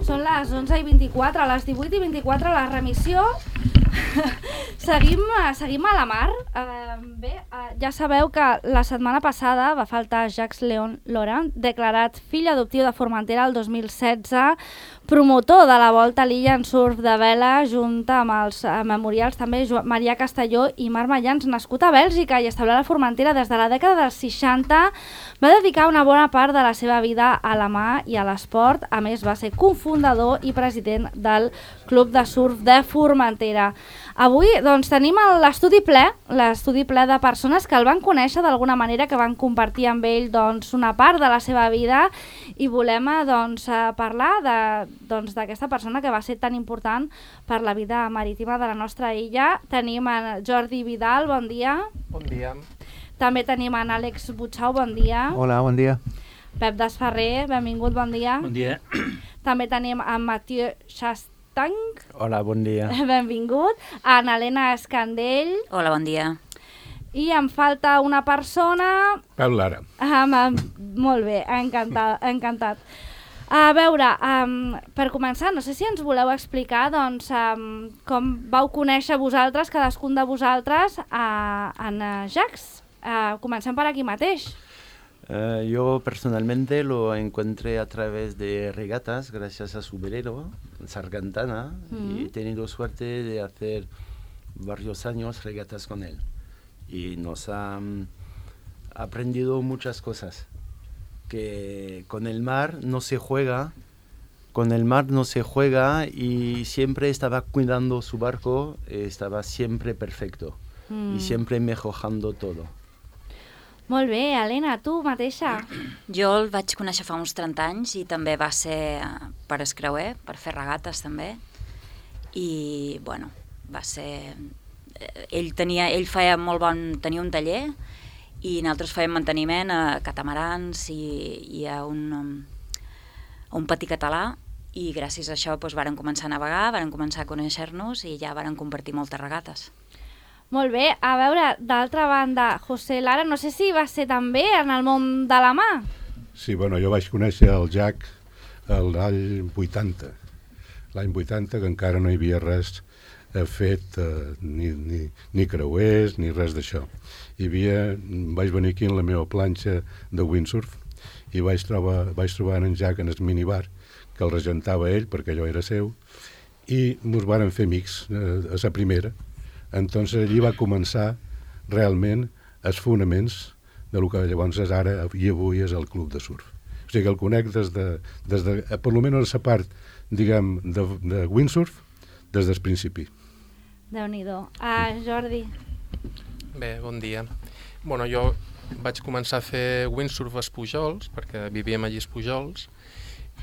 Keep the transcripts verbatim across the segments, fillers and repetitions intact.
Són les onze i vint-i-quatre, a les divuit i vint-i-quatre la remissió. seguim, seguim a la mar. Uh, bé, uh, ja sabeu que la setmana passada va faltar Jacques Léon Laurent, declarat fill adoptiu de Formentera el dos mil setze, promotor de la volta a l'illa en surf de vela, junt amb els uh, memorials també Marià Castelló i Marc Mayans, nascut a Bèlgica i establert a Formentera des de la dècada dels seixanta, va dedicar una bona part de la seva vida a la mà i a l'esport. A més, va ser cofundador i president del Club de Surf de Formentera. Avui doncs, tenim l'estudi ple, l'estudi ple de persones que el van conèixer d'alguna manera, que van compartir amb ell doncs, una part de la seva vida, i volem doncs, parlar d'aquesta doncs, persona que va ser tan important per la vida marítima de la nostra illa. Tenim en Jordi Vidal, bon dia. Bon dia. També tenim en Àlex Butxau, bon dia. Hola, bon dia. Pep Desferrer, benvingut, bon dia. Bon dia. També tenim en Mathieu Chastang. Hola, bon dia. Benvingut. En Helena Escandell. Hola, bon dia. I em falta una persona... Pep Lara. Um, molt bé, encantat. encantat. A veure, um, per començar, no sé si ens voleu explicar doncs, um, com vau conèixer vosaltres, cadascun de vosaltres, uh, en uh, Jacques. Uh, comencem per aquí mateix. Uh, yo personalmente lo encontré a través de regatas gracias a su velero, Sargantana, mm. y he tenido suerte de hacer varios años regatas con él. Y nos ha um, aprendido muchas cosas, que con el mar no se juega, con el mar no se juega y siempre estaba cuidando su barco, estaba siempre perfecto mm. y siempre mejorando todo. Molt bé, Helena, tu mateixa. Jo el vaig conèixer fa uns trenta anys i també va ser per escreuer, per fer regates també. I, bueno, va ser... Ell tenia, ell feia molt bon... tenia un taller i nosaltres fèiem manteniment a catamarans i, i a un, a un patí català, i gràcies a això doncs, varen començar a navegar, varen començar a conèixer-nos i ja varen compartir moltes regates. Molt bé, a veure, d'altra banda, José Lara, no sé si va ser també en el món de la mà. Sí, bueno, jo vaig conèixer el Jack l'any vuitanta, l'any vuitanta, que encara no hi havia res fet, eh, ni, ni, ni creuers, ni res d'això. Hi havia, vaig venir aquí en la meva planxa de windsurf i vaig trobar, vaig trobar en Jack en el minibar, que el regentava ell, perquè allò era seu, i ens varen fer amics eh, a la primera. Entonces allí va començar realment els fonaments de lo que llavors és ara i avui és el club de surf. O sigui que el conec des de, des de per almenys la part, diguem, de, de windsurf, des del principi. Déu-n'hi-do. Ah, Jordi. Bé, bon dia. Bueno, jo vaig començar a fer windsurf als Pujols, perquè vivíem allí als Pujols,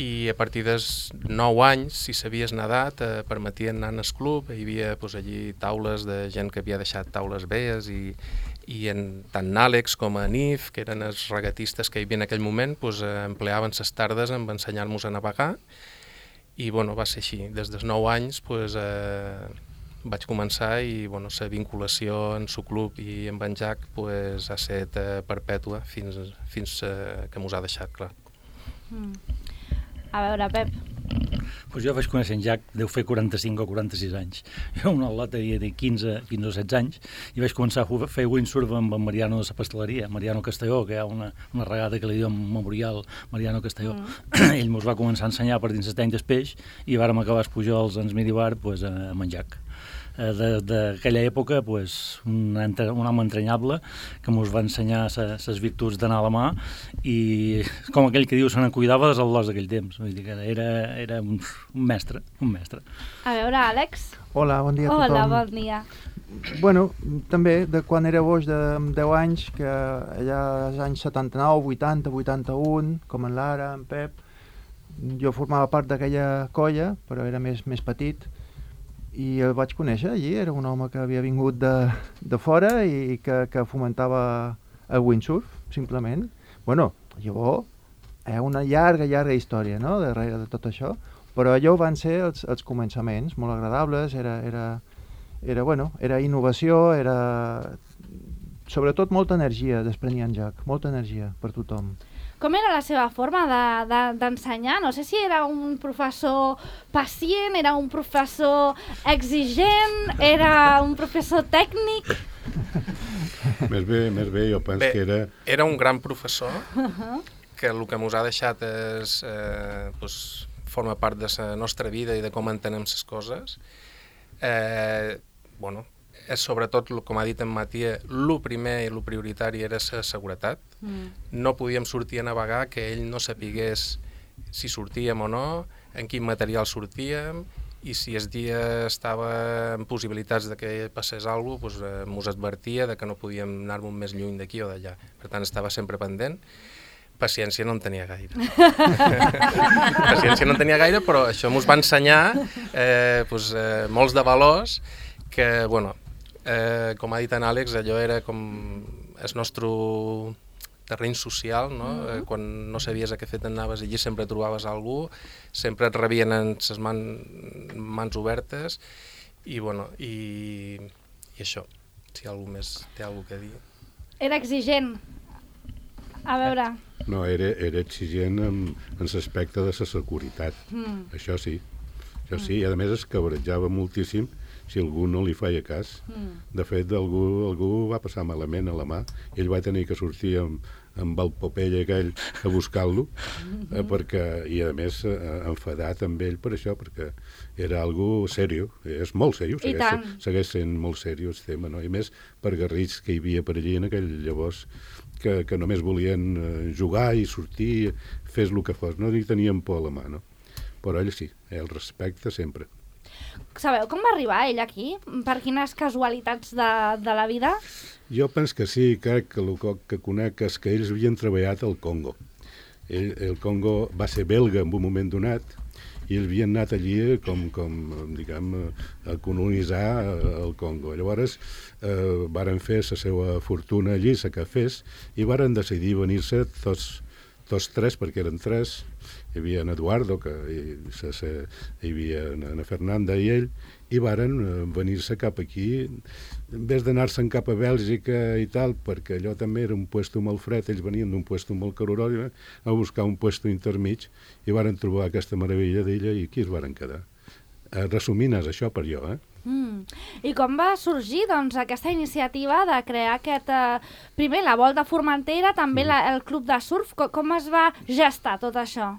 i a partir dels nou anys, si sabies nedar, te permetien anar al club. Hi havia doncs, allí taules de gent que havia deixat taules velles i, i en, tant Àlex com a Nif, que eren els regatistes que hi havia en aquell moment, doncs, empleaven les tardes en ensenyar-nos a navegar i bueno, va ser així. Des dels nou anys doncs, eh, vaig començar i bueno, la vinculació en el club i amb en Jack doncs, ha estat eh, perpètua fins, fins eh, que mos ha deixat, clar. Mm. A veure, Pep. Pues jo vaig conèixer en Jack, deu fer quaranta-cinc o quaranta-sis anys. Jo una al·lot havia de quinze, quinze o setze anys i vaig començar a fer windsurf amb en Mariano de la Pasteleria, Mariano Castelló, que hi ha una, una regata que li diu Memorial Mariano Castelló. Mm. Ell ens va començar a ensenyar per dins les tendes peix i vàrem acabar els Pujols en el minibar pues, amb en Jack. D'aquella època, pues, un, un home entranyable que ens va ensenyar les virtuts d'anar a la mà i, com aquell que diu, se n'en cuidava dels al·lots d'aquell temps. Vull dir que era, era un, un mestre, un mestre. A veure, Àlex. Hola, bon dia a tothom. Hola, bon dia. Bueno, també, de quan era boig de deu anys, que allà als anys setanta-nou, vuitanta, vuitanta-un, com en Lara, en Pep, jo formava part d'aquella colla, però era més, més petit, i el vaig conèixer allí. Era un home que havia vingut de, de fora i que, que fomentava el windsurf, simplement. Bueno, llavors, hi ha una llarga, llarga història, no?, darrere de tot això, però allò van ser els, els començaments, molt agradables, era, era, era, bueno, era innovació, era sobretot molta energia desprenia en Jack, molta energia per tothom. com era la seva forma d'ensenyar? De, de, no sé si era un professor pacient, era un professor exigent, era un professor tècnic... Més bé, més bé, jo penso bé, que era... Era un gran professor, uh-huh. que el que ens ha deixat és, eh, doncs, forma part de la nostra vida i de com entenem les coses. Eh, bueno, és sobretot, com ha dit en Matia, el primer i el prioritari era la seguretat. Mm. No podíem sortir a navegar que ell no sapigués si sortíem o no, en quin material sortíem, i si el dia estava en possibilitats de que passés alguna cosa, doncs, eh, mos advertia de que no podíem anar-nos més lluny d'aquí o d'allà. Per tant, estava sempre pendent. Paciència no en tenia gaire. Paciència no en tenia gaire, però això mos va ensenyar eh, doncs, eh, molts de valors que, bueno, eh, com ha dit en Àlex, allò era com el nostre terreny social, no? Mm-hmm. eh, quan no sabies a què fet anaves allí sempre trobaves algú, sempre et rebien en les man, mans obertes i, bueno, i, i això, si algú més té alguna cosa a dir. Era exigent. A veure... No, era, era exigent en, en l'aspecte de la seguretat, mm. això sí, això sí, i a més es cabrejava moltíssim si algú no li feia cas. Mm. De fet, algú, algú va passar malament a la mà, ell va tenir que sortir amb, amb el Popeye aquell a buscar-lo, mm-hmm. eh, perquè, i a més eh, enfadat amb ell per això, perquè era algo serio, és molt serio, segueix, segueix sent molt serio el tema, no? I més per garrits que hi havia per allí en aquell llavors, que, que només volien eh, jugar i sortir, fes el que fos, no hi tenien por a la mà, no? Però ell sí, el respecte sempre. Sabeu com va arribar ell aquí? Per quines casualitats de, de la vida? Jo penso que sí, crec que el que conec és que ells havien treballat al Congo. Ell, el Congo va ser belga en un moment donat, i ells havien anat allí com, com diguem, a colonitzar el Congo. Llavors eh, varen fer la seva fortuna allí, la que fes, i varen decidir venir-se tots, tots tres, perquè eren tres. Hi havia en Eduardo, que hi, se, se, hi havia na Fernanda i ell, i varen venir-se cap aquí, en vez d'anar-se'n cap a Bèlgica i tal, perquè allò també era un puesto molt fred, ells venien d'un puesto molt calorós, a buscar un puesto intermig, i varen trobar aquesta meravella d'illa i aquí es varen quedar. Eh, resumint és això per jo, eh? Mm. I com va sorgir doncs, aquesta iniciativa de crear aquest, eh, primer la Volta a Formentera, també mm. la, el club de surf, com, com es va gestar tot això?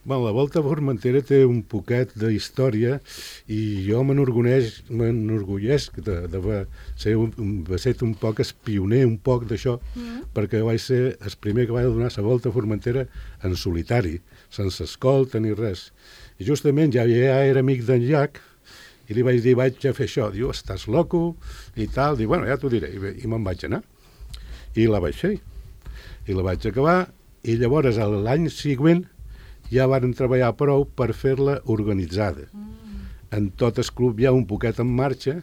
Bueno, la Volta a Formentera té un poquet d'història i jo m'enorgulleix de, de ser un, un, ser un poc espioner un poc d'això, mm. perquè vaig ser el primer que vaig donar la Volta a Formentera en solitari, sense escolta ni res. I justament ja, ja era amic d'en Jack, i li vaig dir, vaig a fer això. Diu, estàs loco? I tal. Diu, bueno, ja t'ho diré. I, i me'n vaig anar. I la vaig fer. I la vaig acabar. I llavors, l'any següent, ja varen treballar prou per fer-la organitzada. Mm. En tot el club ja un poquet en marxa,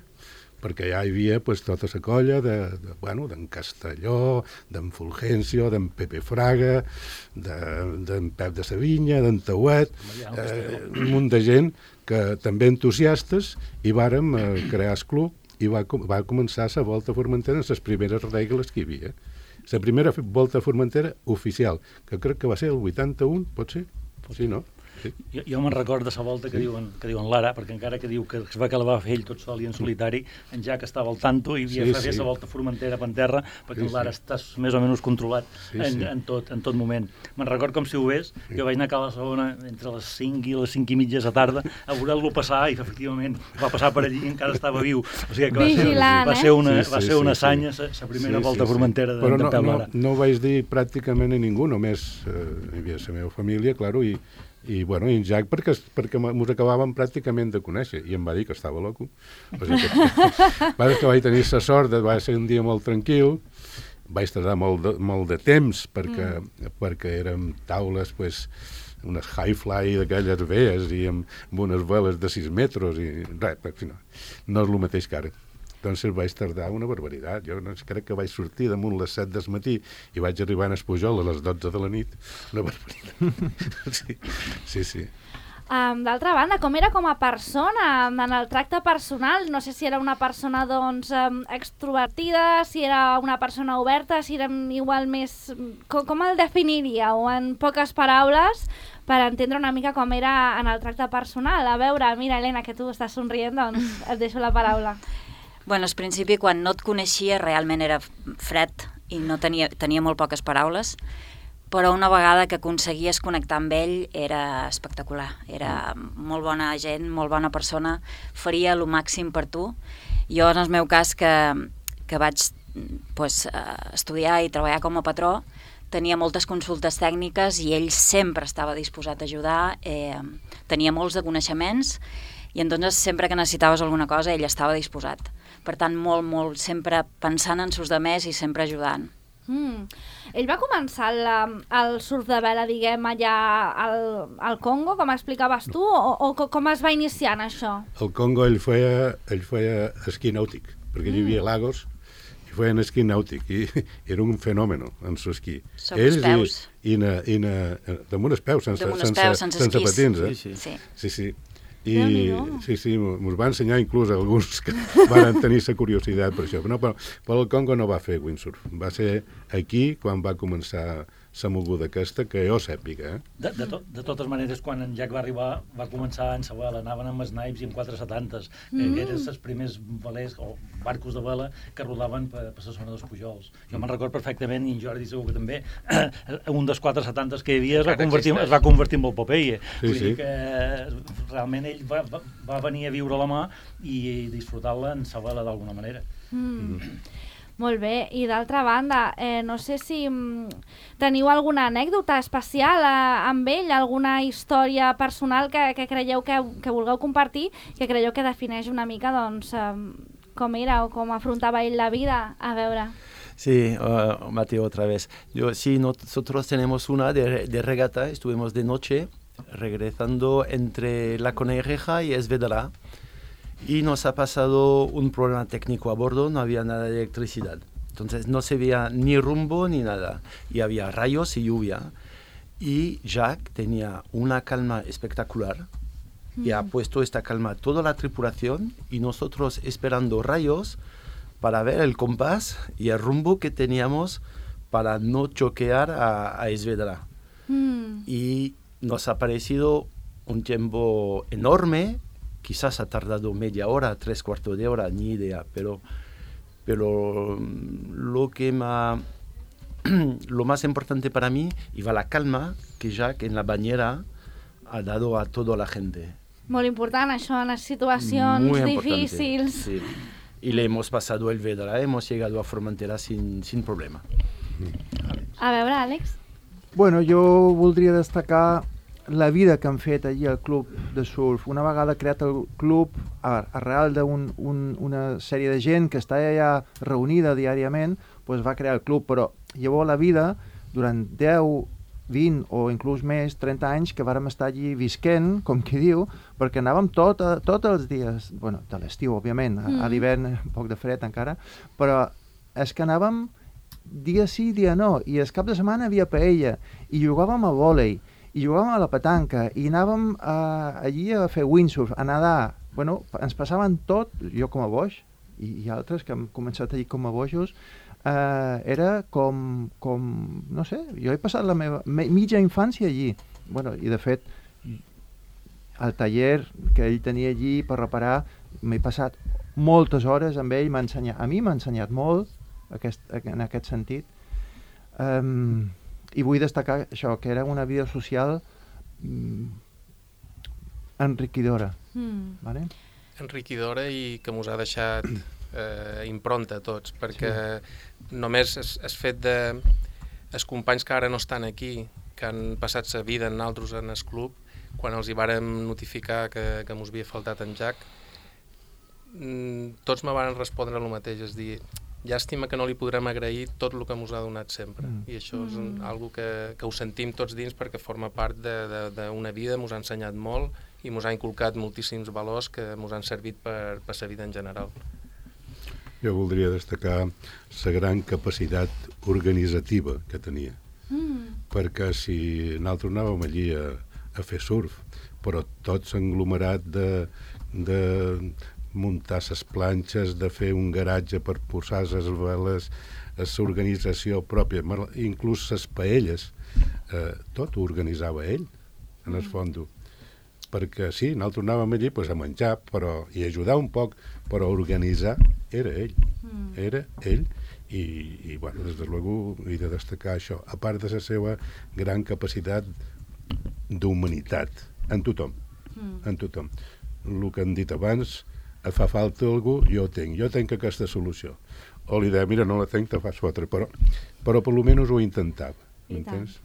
perquè ja hi havia pues, tota la colla de, de, bueno, d'en Castelló, d'en Fulgencio, d'en Pepe Fraga, d'en de, Pep de Savinya, d'en Tauet, eh, un munt de gent que també entusiastes, i vàrem eh, crear el club i va, va començar la Volta a Formentera amb les primeres regles que hi havia. La primera Volta a Formentera oficial, que crec que va ser el vuitanta-un, pot ser? Sí, no? Sí. Jo, jo me'n record de la volta que, sí. diuen, que diuen l'Ara, perquè encara que diu que es va que la va fer ell tot sol i en solitari, en Jack estava al tanto i havia sí, fet sí. la volta a Formentera per terra, perquè sí, l'Ara sí. està més o menys controlat sí, en, sí. En, tot, en tot moment. Me'n record com si ho ves, sí. jo vaig anar a Cala Segona entre les cinc i les cinc i mitja de la tarda a veure-lo passar i efectivament va passar per allí i encara estava viu. O sigui que va ser, va ser una, sí, sí, va ser una sí, asanya la sí. primera sí, volta sí, a Formentera sí. de, Però de no, Pep no, Lara. No ho vaig dir pràcticament a ningú, només eh, hi havia la meva família, claro, i i, bueno, i en Jack perquè, perquè mos acabàvem pràcticament de conèixer i em va dir que estava loco. O sigui que, va que vaig tenir la sort de va ser un dia molt tranquil, vaig tardar molt de, molt de temps perquè, mm. perquè érem taules pues, unes high-fly d'aquelles vees i amb, amb unes veles de sis metres i res, no, no és el mateix que ara. Doncs vaig tardar una barbaritat. Jo no, crec que vaig sortir damunt les set del matí i vaig arribar a Espujol a les dotze de la nit. Una barbaritat. Sí, sí. sí. Um, D'altra banda, com era com a persona, en el tracte personal? No sé si era una persona doncs, um, extrovertida, si era una persona oberta, si era igual més... Com, com el definiríeu en poques paraules per entendre una mica com era en el tracte personal? A veure, mira, Helena, que tu estàs somrient, doncs et deixo la paraula. Bueno, al principi, quan no et coneixia, realment era fred i no tenia, tenia molt poques paraules, però una vegada que aconseguies connectar amb ell era espectacular. Era molt bona gent, molt bona persona, faria el màxim per tu. Jo, en el meu cas, que, que vaig pues, estudiar i treballar com a patró, tenia moltes consultes tècniques i ell sempre estava disposat a ajudar, eh, tenia molts de coneixements i entonces sempre que necessitaves alguna cosa ell estava disposat. Per tant, molt, molt, sempre pensant en sus demés i sempre ajudant. Mm. Ell va començar el, el surf de vela, diguem, allà al, al Congo, com explicaves tu, o, o com es va iniciar en això? Al Congo ell feia, ell feia esquí nàutic, perquè mm. hi havia lagos, i feien esquí nàutic, i era un fenomen en su esquí. Sobre els peus. I, i, na, i na, damunt els peus, sense, damunt els sense, peus, sense, sense patins. Eh? Sí, sí. sí, sí. I sí, sí, ens va ensenyar inclús alguns que van tenir la curiositat per això. No, però, però el Congo no va fer windsurf. Va ser aquí quan va començar la moguda aquesta, que jo sàpiga. Eh? De, de, to, de totes maneres, quan en Jack va arribar, va començar en sa vela, anaven amb snipes i amb quatre setantes, mm. que eren els primers velers o barcos de vela que rodaven per, per la zona dels Pujols. Jo me'n record perfectament, i en Jordi segur que també, un dels quatre setantes que hi havia es va convertir, es va convertir en el Popeye. Sí, Vull sí. dir que realment ell va, va, va venir a viure a la mà i disfrutar-la en sa vela d'alguna manera. Mm. Mm. Molt bé, i d'altra banda, eh, no sé si mm, teniu alguna anècdota especial eh, amb ell, alguna història personal que, que creieu que, que vulgueu compartir, que creieu que defineix una mica doncs, eh, com era o com afrontava ell la vida. A veure... Sí, uh, Mateo, otra vez. Yo, sí, nosotros tenemos una de, de regata, estuvimos de noche regresando entre La Conejeja y Esvedra. Y nos ha pasado un problema técnico a bordo, no había nada de electricidad. Entonces no se veía ni rumbo ni nada. Y había rayos y lluvia. Y Jack tenía una calma espectacular mm. y ha puesto esta calma a toda la tripulación y nosotros esperando rayos para ver el compás y el rumbo que teníamos para no choquear a, a Esvedra. Mm. Y nos ha parecido un tiempo enorme. Quizás ha tardado media hora, tres cuartos de hora, ni idea, pero, pero lo que ma, lo más importante para mí iba la calma que Jack en la bañera ha dado a toda la gente. Molt important això, en les situacions difícils. Sí. Y le hemos pasado el Vedra, hemos llegado a Formentera sin, sin problema. A veure, Àlex. Bueno, jo voldria destacar la vida que han fet allí al club de surf. Una vegada creat el club, arrel d'una un, una sèrie de gent que està allà reunida diàriament, pues va crear el club, però llavors la vida, durant deu, vint o inclús més, trenta anys, que vàrem estar allí visquent, com qui diu, perquè anàvem tot, tots els dies, bueno, de l'estiu, òbviament, mm. a l'hivern un poc de fred encara, però és que anàvem dia sí, dia no, i el cap de setmana havia paella, i jugàvem a vòlei, i jugàvem a la petanca, i anàvem a, allí a fer windsurf, a nedar. Bueno, ens passaven tot, jo com a boix, i, i altres que hem començat allí com a boixos, eh, era com, com, no sé, jo he passat la meva me, mitja infància allí. Bueno, i de fet, al taller que ell tenia allí per reparar, m'he passat moltes hores amb ell, m'ha ensenyat, a mi m'ha ensenyat molt aquest, en aquest sentit. Um, I vull destacar això, que era una vida social mm, enriquidora. Mm. Vale? Enriquidora i que mos ha deixat eh, impronta a tots, perquè sí. només es, es fet de... els companys que ara no estan aquí, que han passat sa vida en altres en el club, quan els hi vàrem notificar que, que mos havia faltat en Jack, mm, tots me van respondre el mateix, és dir, llàstima que no li podrem agrair tot el que ens ha donat sempre. Mm. I això és un, algo que, que ho sentim tots dins perquè forma part d'una vida, ens ha ensenyat molt i ens ha inculcat moltíssims valors que ens han servit per, per la vida en general. Jo voldria destacar la gran capacitat organitzativa que tenia. Mm. Perquè si nosaltres anàvem allí a, a fer surf, però tot s'englomerat de, de muntar ses planxes, de fer un garatge per posar ses veles, l'organització pròpia, inclús ses paelles, eh, tot ho organitzava ell, en el fondo. Perquè sí, nosaltres anàvem allí pues, a menjar però, i ajudar un poc, però organitzar era ell, mm. era ell, i, i bueno, des de luego he de destacar això, a part de la seva gran capacitat d'humanitat, en tothom, mm. en tothom. El que han dit abans, et fa falta algú, jo ho tinc, jo tinc aquesta solució. O li deia, mira, no la tinc, te fas fotre, però, però per almenys ho intentava, m'entens?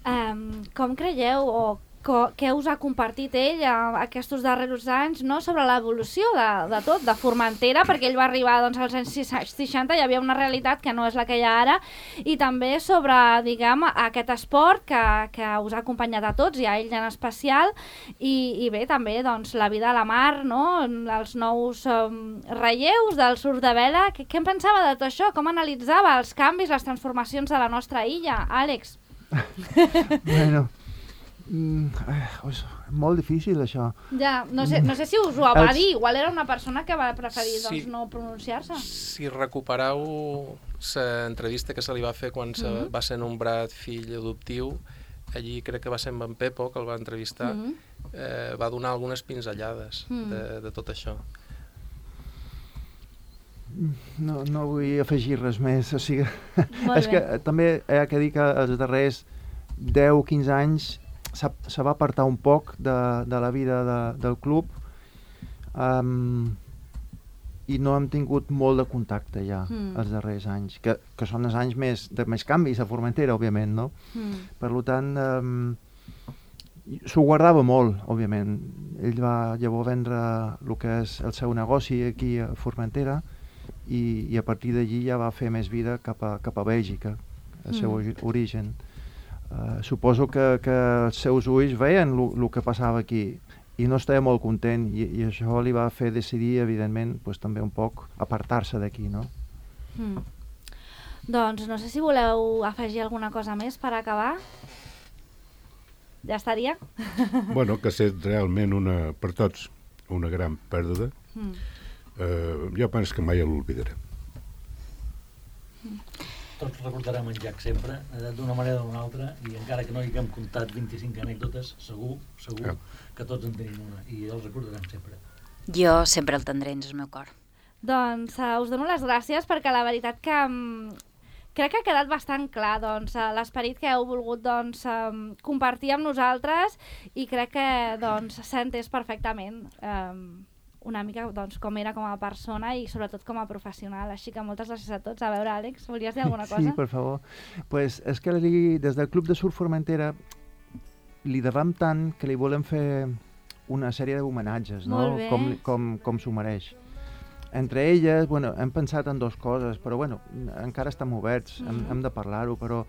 Um, com creieu, o co què us ha compartit ell a, aquests darrers anys, no? Sobre l'evolució de, de tot, de Formentera, perquè ell va arribar doncs, als anys seixanta, hi havia una realitat que no és la que hi ha ara, i també sobre, diguem, aquest esport que, que us ha acompanyat a tots, i a ell en especial, i, i bé, també doncs, la vida a la mar, no? Els nous um, relleus del surf de vela. Què, què en pensava de tot això? Com analitzava els canvis, les transformacions de la nostra illa? Àlex? Bueno... Mm, eh, és molt difícil això. Ja, no sé, no sé si us ho va Els... dir, igual era una persona que va preferir sí. doncs, no pronunciar-se. Si recupereu l'entrevista que se li va fer quan se mm -hmm. va ser nombrat fill adoptiu, allí crec que va ser amb en Pepo, que el va entrevistar, mm -hmm. eh, va donar algunes pinzellades mm -hmm. de, de tot això. No, no vull afegir res més, o sigui, és que també hi ha que dir que els darrers deu quinze anys se va apartar un poc de, de la vida de, del club, um, i no hem tingut molt de contacte ja mm. els darrers anys, que, que són els anys més, de més canvis a Formentera, òbviament, no? Mm. Per tant, um, s'ho guardava molt, òbviament. Ell va llavors vendre el que és el seu negoci aquí a Formentera, i, i a partir d'allí ja va fer més vida cap a, cap a Bèlgica, el seu mm. origen. Uh, suposo que, que els seus ulls veien el que passava aquí i no estava molt content, i, i això li va fer decidir, evidentment, pues, també un poc apartar-se d'aquí, no? Mm. Doncs no sé si voleu afegir alguna cosa més per acabar. Ja estaria? Bueno, que ha estat realment una, per tots una gran pèrdua. Mm. Uh, jo penso que mai l'oblidarem. Mm. Tots recordarem en Jack sempre, d'una manera o d'una altra, i encara que no hi haguem comptat vint-i-cinc anècdotes, segur, segur yeah. que tots en tenim una, i els recordarem sempre. Jo sempre el tindré en el meu cor. Doncs uh, us dono les gràcies, perquè la veritat que um, crec que ha quedat bastant clar doncs, uh, l'esperit que heu volgut doncs, um, compartir amb nosaltres, i crec que doncs, s'ha entès perfectament. Um, una mica doncs, com era com a persona i sobretot com a professional. Així que moltes gràcies a tots. A veure, Àlex, volies dir alguna cosa? Sí, per favor. Pues és que li, des del Club de Surf Formentera li devem tant que li volem fer una sèrie d'homenatges, no? Com, com, com s'ho mereix. Entre elles, bueno, hem pensat en dues coses, però bueno, encara estem oberts, mm. hem, hem de parlar-ho, però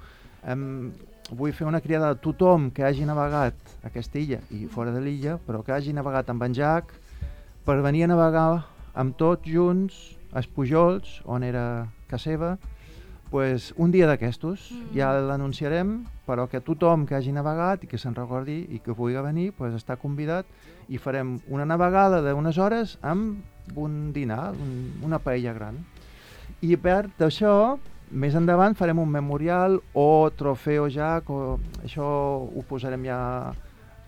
hem, vull fer una criada a tothom que hagi navegat a aquesta illa i fora de l'illa, però que hagi navegat amb en Jack, per venir a navegar amb tots junts als Pujols, on era casa seva, pues, un dia d'aquestos. Mm. Ja l'anunciarem, però que tothom que hagi navegat i que se'n recordi i que pugui venir pues, està convidat, i farem una navegada d'unes hores amb un dinar, un, una paella gran. I a part d'això, més endavant farem un memorial o trofeu Jack, o això ho posarem ja...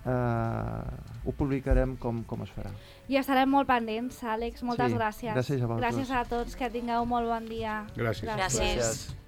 Uh, ho publicarem com, com es farà. I estarem molt pendents, Àlex. Moltes sí, gràcies. Gràcies a vosaltres. Gràcies a tots, que tingueu molt bon dia. Gràcies. Gràcies. gràcies.